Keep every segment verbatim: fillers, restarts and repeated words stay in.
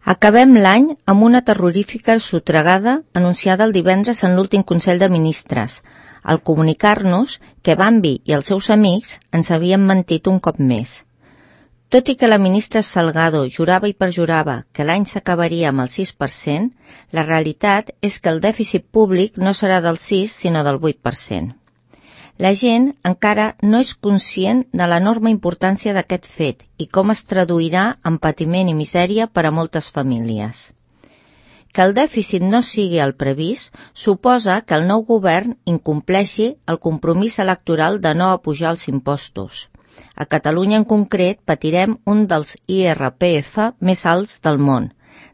Acabem l'any amb una terrorífica sotregada anunciada el divendres en l'últim Consell de Ministres, al comunicar-nos que Bambi i els seus amics ens havien mentit un cop més. Tot i que la ministra Salgado jurava i perjurava que l'any s'acabaria amb el sis per cent, la realitat és que el dèficit públic no serà del sis, sinó del vuit per cent. La gent encara no és conscient de l'enorme importància d'aquest fet i com es traduirà en patiment i misèria per a moltes famílies. Que el dèficit no sigui el previst suposa que el nou govern incompleixi el compromís electoral de no apujar els impostos. A Catalunya en concret patirem un dels I R P F més alts del món.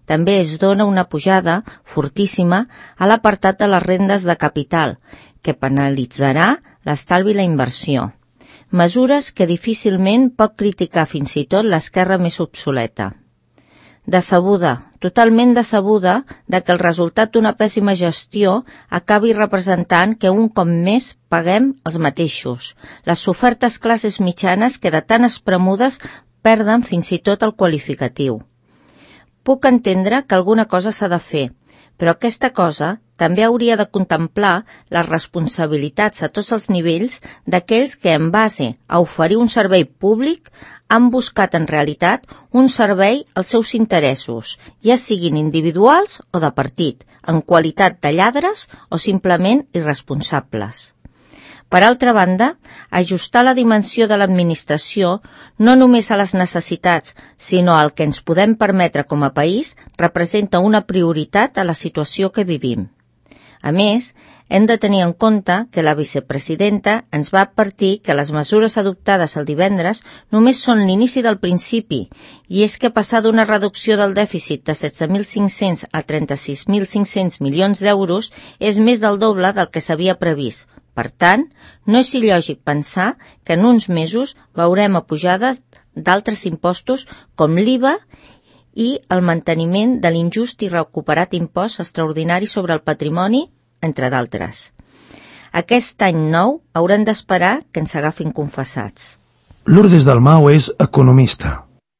També es dona una pujada fortíssima a l'apartat de les rendes de capital, que penalitzarà l'estalvi i la inversió. Mesures que difícilment pot criticar fins i tot l'esquerra més obsoleta. Decebuda, totalment decebuda, de que el resultat d'una pèssima gestió acabi representant que un cop més paguem els mateixos, les sofertes classes mitjanes que de tan espremudes perden fins i tot el qualificatiu. Puc entendre que alguna cosa s'ha de fer, però aquesta cosa també hauria de contemplar les responsabilitats a tots els nivells d'aquells que, en base a oferir un servei públic, han buscat en realitat un servei als seus interessos, ja siguin individuals o de partit, en qualitat de lladres o simplement irresponsables. Per altra banda, ajustar la dimensió de l'administració no només a les necessitats, sinó al que ens podem permetre com a país, representa una prioritat a la situació que vivim. A més, hem de tenir en compte que la vicepresidenta ens va advertir que les mesures adoptades el divendres només són l'inici del principi, i és que passar d'una reducció del dèficit de setze mil cinc-cents a trenta-sis mil cinc-cents milions d'euros és més del doble del que s'havia previst. Per tant, no és il·lògic pensar que en uns mesos veurem apujades d'altres impostos com l'I V A i el manteniment de l'injust i recuperat impost extraordinari sobre el patrimoni, entre d'altres. Aquest any nou haurem d'esperar que ens agafin confessats. Lourdes Dalmau és economista.